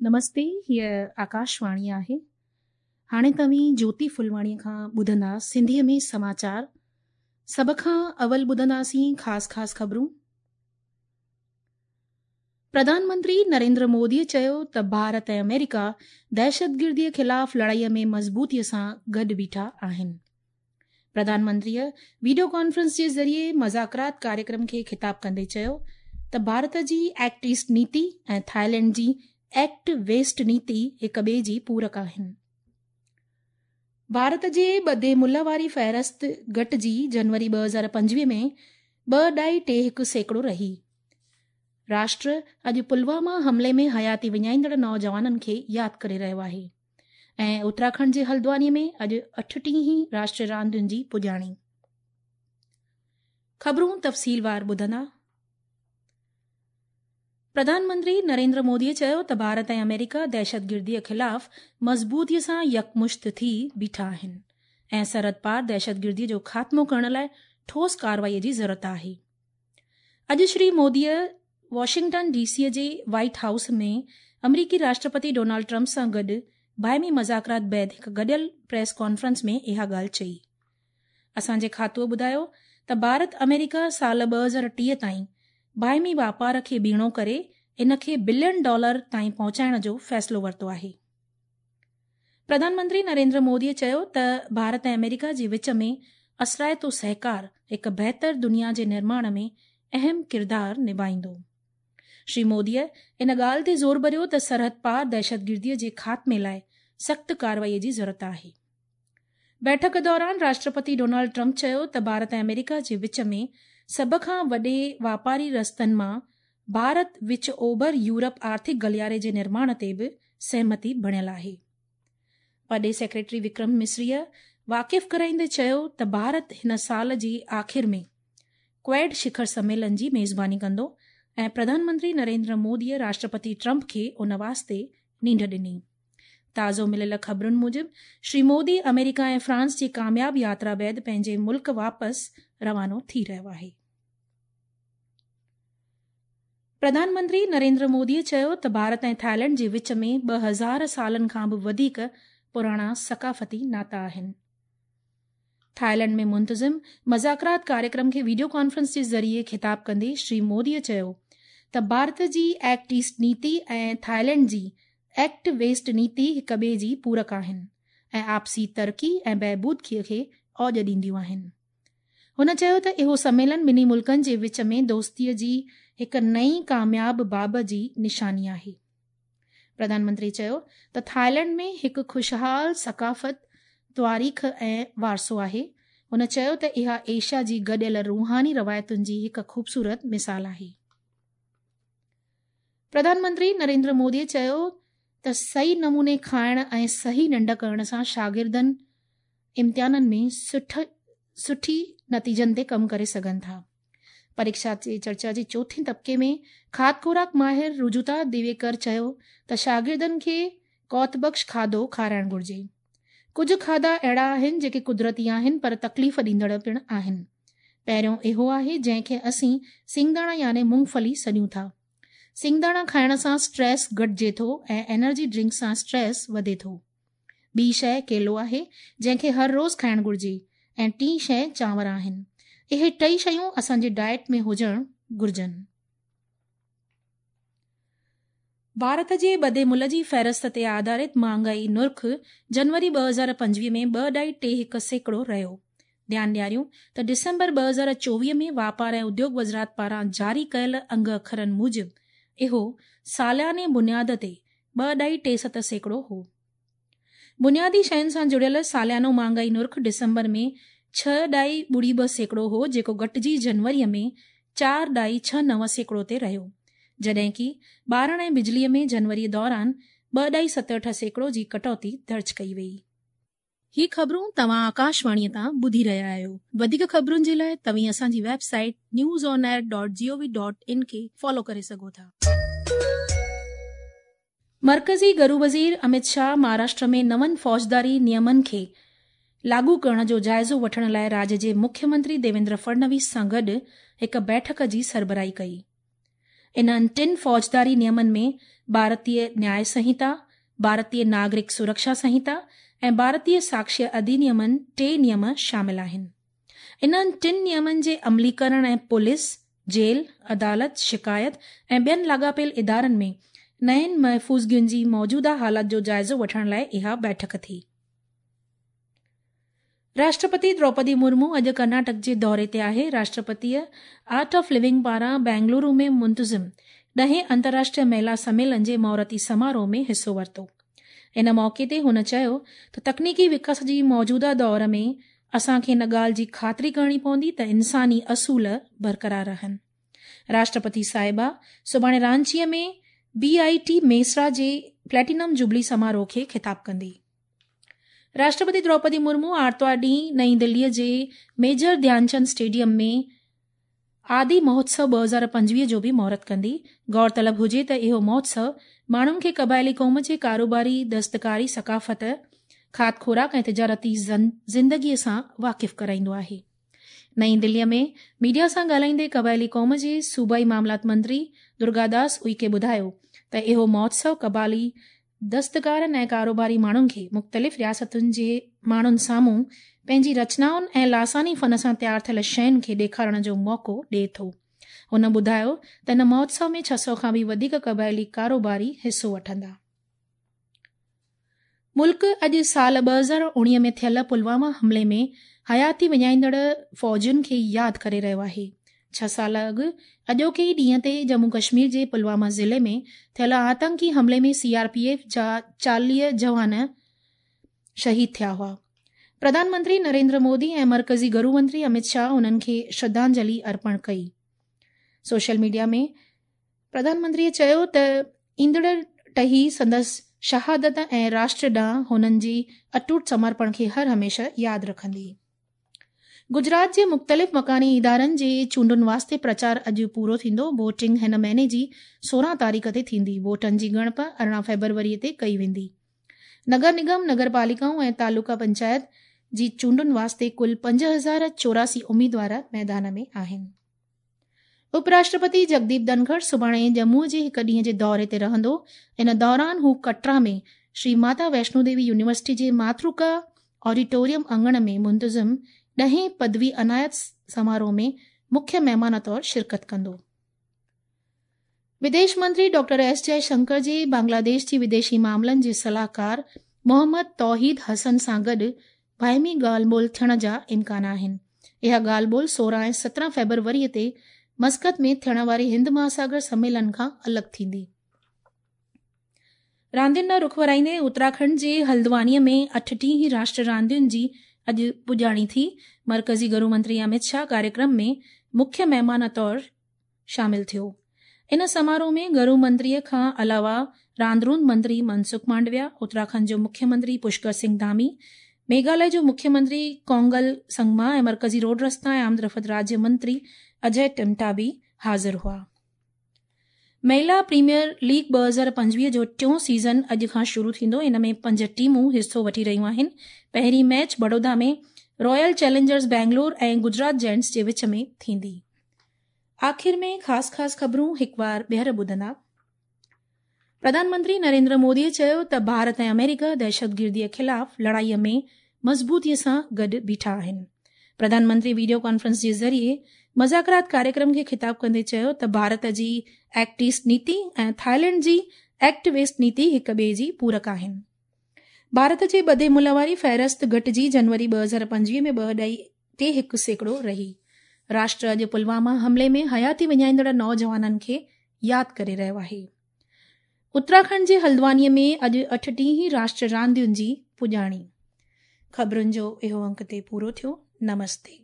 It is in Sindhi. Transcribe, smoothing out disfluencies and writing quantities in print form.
نمستي، هيء آڪاشواڻي آهي. هاڻي توهين جوتي ڦلواڻيء کان ٻڌندا سنڌيء ۾ سماچار. سڀ کان اول ٻڌنداسين خاص خاص خبرون. پرڌان منتري نريندر موديء چيو ته ڀارت ۽ آمريڪا دهشتگرديء خلاف لڙائيء ۾ مضبوطيء سان گڏ بيٺا آهن. پرڌان منتريء وڊيو ڪانفرنس جي ذريعي مذاڪرات ڪاريڪرم کي خطاب ڪندي چيو ته ڀارت جي ايڪٽ ايسٽ نيتي ۽ ٿائيلينڊ جي ايڪٽ ويسٽ نيتي هڪ ٻئي جي پورڪ آهن. ڀارت جي ٻڌي ملهه واري فهرست گهٽجي جنوري 2025 ۾ ٻه ڏهائي ٽي هڪ سيڪڙو رهي. راشٽر اڄ پلواما حملي ۾ حياتي وڃائيندڙ نوجوانن کي ياد ڪري رهيو آهي. ۽ اتراکنڊ جي هلدواني ۾ اڄ اٺٽيهين راشٽري راندين جي پڄاڻي. خبرون تفصيلوار ٻڌندا. پرڌان منتري نريندر مودي چيو ته ڀارت ۽ آمريڪا دهشتگردي خلاف مضبوطي سان يڪمشت ٿي بيٺا آهن ۽ سرحد پار دهشتگردي جو خاتمو ڪرڻ لاء ٺوس ڪارروائي جي ضرورت آهي. اڄ Shri Modi Washington D C جي وائيٽ هائوس ۾ آمريڪي راشٽرپتي ڊونلڊ ٽرمپ سان گڏ باهمي مذاڪرات بعد هڪ گڏيل پريس ڪانفرنس ۾ اها ڳالهه چئي. اسان جي کاتوء ٻڌايو ته ڀارت آمريڪا سال 2030 تائين باهمي واپار کي ٻيڻو ڪري ان کي بلين ڊالر تائين پهچائڻ جو فيصلو ورتو آهي. پرڌان منتري نريندر مودي چيو ته ڀارت ۽ آمريڪا جي وچ ۾ اثرائتو سهڪار هڪ بهتر دنيا جي نرماڻ ۾ اهم ڪردار نڀائيندو. شري مودي ان ڳالهه تي زور ڀريو ته سرحد پار دهشتگردي جي خاتمي لاء سخت ڪارروائي جي ضرورت آهي. بيٺڪ دوران راشٽرپتي ڊونلڊ ٽرمپ چيو ته ڀارت ۽ آمريڪا جي وچ ۾ سڀ کان وڏي واپاري رستن مان ڀارت وچ اوڀر يورپ آرٿڪ گلياري جي نرماڻ تي به سهمتي بڻيل آهي. پرڏيهي سيڪريٽري وڪرم مصريء واقف ڪرائيندي چيو ته ڀارت هن سال جي آخر ۾ ڪواڊ شکر سميلن جي ميزباني ڪندو ۽ پرڌان منتري نريندر موديء راشٽرپتي ٽرمپ کي ان واسطي نينڍ ڏني. تازو مليل خبرن موجب شري مودي آمريڪا ۽ فرانس جي ڪامياب ياترا بعد پنهنجي ملڪ واپس روانو ٿي رهيو آهي. پرڌان منتري نريندر مودي چيو ته ڀارت ۽ ٿائيلينڊ جي وچ ۾ 2000 سالن کان به وڌيڪ پراڻا ثقافتي ناتا آهن. ٿائيلينڊ ۾ منتظم مذاڪرات ڪاريڪرم کي وڊيو ڪانفرنس جي ذريعي خطاب ڪندي شري مودي چيو ته ڀارت جي ايڪٽ ايسٽ نيتي ۽ ٿائيلينڊ جي ايڪٽ ويسٽ نيتي هڪ ٻئي جي پورڪ آهن ۽ آپسي ترقي ۽ بهبود کي اوڄ ڏينديون آهن. هن چيو ته اهو سميلن ٻنهي ملڪن جي وچ ۾ دوستي جي هڪ نئين ڪامياب باب جي نشاني آهي. پرڌان منتري چيو ته ٿائيلينڊ ۾ هڪ خوشحال ثقافت، تواريخ ۽ وارثو آهي. هن چيو ته اها ايشيا جي گڏيل روحاني روايتن جي هڪ خوبصورت مثال آهي. پرڌان منتري نريندر مودي چيو ته صحيح نموني کائڻ ۽ صحيح ننڊ ڪرڻ سان شاگردن امتحانن ۾ سٺي نتيجن تي ڪم ڪري سگهن ٿا. پريڪشا تي چرچا جي چوٿين طبقي ۾ کاڌ خوراڪ ماهر رجوتا ديويڪر چيو ته شاگردن کي قوت بخش کاڌو کارائڻ گهرجي. ڪجهه کاڌا اهڙا آهن جيڪي قدرتي آهن پر تڪليف ڏيندڙ پڻ آهن. پهريون اهو آهي جنهن کي اسين سينگداڻا يعني مونگڦلي سڏيون ٿا. سينگداڻا کائڻ سان اسٽريس گهٽجي ٿو ۽ انرجي ڊرنڪ سان اسٽريس وڌي ٿو. ٻي شيء ڪيلو آهي، جنهن کي هر روز کائڻ گهرجي ۽ ٽين شيء چانور آهن. اهي ٽئي شيون اسان جي ڊائيٽ ۾ هجڻ گهرجن. ڀارت جي ٻڌي ملهه جي فهرست تي آڌارت مهانگائي نرخ جنوري 2025 ۾ 2.31% رهيو. ڌيان ڏياريون ته ڊسمبر 2024 ۾ واپار ۽ اديوگ وزارت پاران جاري ڪيل انگ اکرن موجب اهو سالياني بنياد تي 2.37% هو. بنيادي شين سان جڙيل ساليانو مهانگائي نرخ ڊسمبر ۾ 6.82% هو جيڪو گهٽجي جنوري ۾ 4.69% تي رهيو، جڏهن ڪي ٻارڻ ۽ بجلي ۾ جنوري دوران 2.78% جي ڪٽوتي درج ڪئي وئي. هي خبرون توهان آڪاشواڻي تان ٻڌي رهيا آهيو. وڌيڪ خبرن جي لاء توهين اسان جي website news on air dot G O V dot in کي فالو ڪري سگهو ٿا. مرڪزي گهرو وزير اميت شاهه مهاراشٽر ۾ نون فوجداري نيمن کي لاڳو ڪرڻ جو جائزو وٺڻ لاء راڄ جي مکيه منتري ديويندر فڙنويس سان گڏ هڪ بيٺڪ جي سربراهي ڪئي. انهن ٽن فوجداري نيمن ۾ ڀارتيه نياء سنهتا، ڀارتيه ناگرڪ سرڪشا سنهتا ۽ ڀارتيه ساڪشيه اڌينيمن ٽي نيم شامل آهن. انهن ٽن نيمن جي عمليڪرڻ ۽ پوليس، جيل، عدالت، شڪايت ۽ ٻين لاڳاپيل ادارن ۾ نين محفوظگين جي موجوده حالت جو جائزو وٺڻ لاء اها بيٺڪ ٿي. راشٽرپتي دروپدي مرمو اڄ ڪرناٽڪ جي دوري تي آهي. راشٽرپتيء آرٽ آف لونگ پاران بينگلورو ۾ منتظم ڏهين انترراشٽريه مهلا سميلن جي مهورتي سماروهه ۾ حصو ورتو. ان موقعي تي هن چيو ته تڪنيڪي وڪاس جي موجوده دور ۾ اسان کي ان ڳالهه جي خاطري ڪرڻي پوندي ته انساني اصول برقرار رهن. راشٽرپتي صاحبه سڀاڻي رانچيء ۾ بي آء ٽي ميسرا جي پليٽينم جوبلي سماروهه کي خطاب ڪندي. راشٽرپتي دروپدي مرمو آرتوار ڏينهن نئين دهليء جي ميجر ڌيانچند اسٽيڊيم ۾ آدي مهوتسو 2025 جو به مهورت ڪندي. غور طلب هجي ته اهو مهوتسو ماڻهن کي قبائلي قوم جي ڪاروباري، دستڪاري ثقافت، کاڌ خوراڪ ۽ تجارتي زندگيء سان واقف ڪرائيندو آهي. نئين دهليء ۾ ميڊيا سان ڳالهائيندي قبائلي قوم جي صوبائي معاملات منتري درگاداس اوئڪي ٻڌايو ته اهو مهوتسو قبائلي دستڪارن ۽ ڪاروباري ماڻهن کي مختلف رياستن جي ماڻهن سامهون پنهنجي رچنائن ۽ لاثاني فن سان تيار ٿيل شين کي ڏيکارڻ جو موقعو ڏئي ٿو. هن ٻڌايو ته ان مهوتسو ۾ 600 کان به وڌيڪ قبائلي ڪاروباري حصو وٺندا. ملڪ اڄ سال 2019 ۾ ٿيل پلواما حملي ۾ حياتي وڃائيندڙ فوجين کي ياد ڪري رهيو آهي. ڇهه سال اڳ اڄوڪي ئي ڏينهن تي ڄمون ڪشمير جي پلواما ضلعي ۾ ٿيل آتنڪي حملي ۾ سي آر پي ايف جا 40 جوان شهيد ٿيا هئا. پرڌان منتري نريندر مودي ۽ مرڪزي گهرو منتري امت شاهه انهن کي شرڌانجلي ارپڻ ڪئي. سوشل ميڊيا ۾ پرڌان منتريء چيو ته ايندڙ ٽهي سندس شهادت ۽ راشٽر ڏانهن هنن جي اٽوٽ سمرپڻ کي هر هميشه ياد رکندي. گجرات جي مختلف مڪاني ادارن جي چونڊن واسطي پرچار اڄ پورو ٿيندو. ووٽنگ هن مهيني جي 16 تاريخ تي ٿيندي. ووٽن جي ڳڻپ 18 فيبروري تي ڪئي ويندي. نگر نگم، نگر پاليڪائون ۽ تعلقه پنچائت جي چونڊن واسطي ڪل 5084 اميدوار ميدان ۾ آهن. اپ راشٽرپتي جگديپ ڌنکڙ سڀاڻي ڄمون جي هڪ ڏينهن جي دوري تي رهندو. ان دوران هو ڪٽرا ۾ شري ماتا ويشنو ديوي يونيورسٽي جي ماترڪا آڊيٽوريم اڱڻ ۾ منتظم ڏهين پدوي عنايت سماروهه ۾ مکيه مهمان طور شرڪت ڪندو. وديش منتري ڊاڪٽر ايس جئه شنڪر جي بنگلاديش جي وديشي معاملن جي صلاحڪار محمد توحيد حسن سان گڏ باهمي ڳالهه ٻولهه ٿيڻ جا امڪان آهن. اها ڳالهه ٻولهه 16 ۽ 17 فيبروري تي مسقط ۾ ٿيڻ واري هند مهاساگر سميلن کان الڳ ٿيندي. راندين ڏانهن رخ ورائيندي اتراکنڊ جي هلدواني ۾ 38 راشٽر راندين جي اڄ پڄاڻي ٿي. مرڪزي گهرو منتري امت شاهه ڪاريڪرم ۾ مکيه مهمان طور شامل ٿيو. ان سماروهه ۾ گهرو منتريء کان علاوه راند روند منتري منسک مانڊويا، اتراکنڊ جو مکيه منتري پشڪر سنگهه ڌامي، ميگهاليه جو مکيه منتري ڪونگل سنگما ۽ مرڪزي روڊ رستا ۽ آمدرفت راجيه منتري اجي ٽمٽا به حاضر هئا. مهلا پريميئر ليگ 2025 جو ٽيون سيزن اڄ کان شروع ٿيندو. ان ۾ پنج ٽيمون حصو وٺي رهيون آهن. پهرين match Baroda ۾ Royal Challengers Bangalore ۽ Gujarat Giants جي وچ ۾ ٿيندي. آخر ۾ خاص خاص خبرون هڪ وار ٻيهر ٻڌندا. پرڌان منتري نريندر مودي چيو ته ڀارت ۽ آمريڪا دهشتگردي خلاف لڙائي ۾ مضبوطي سان گڏ بيٺا آهن. پرڌان منتري وڊيو ڪانفرنس جي ذريعي مذاڪرات ڪاريڪرم کي خطاب ڪندي چيو ته ڀارت جي ايڪٽ ايسٽ نيتي ۽ ٿائيلينڊ جي ايڪٽ ويسٽ نيتي هڪ ٻئي جي پورڪ آهن. ڀارت جي ٻڌي ملهه واري فهرست گهٽجي جنوري 2025 ۾ 2.31% رهي. راشٽر اڄ پلواما حملي ۾ حياتي وڃائيندڙ نوجوانن کي ياد ڪري رهيو آهي. اتراکنڊ جي هلدواني ۾ اڄ 38 راشٽر راندين جي پڄاڻي. خبرن جو اهو انڪ تي پورو ٿيو. نمستي.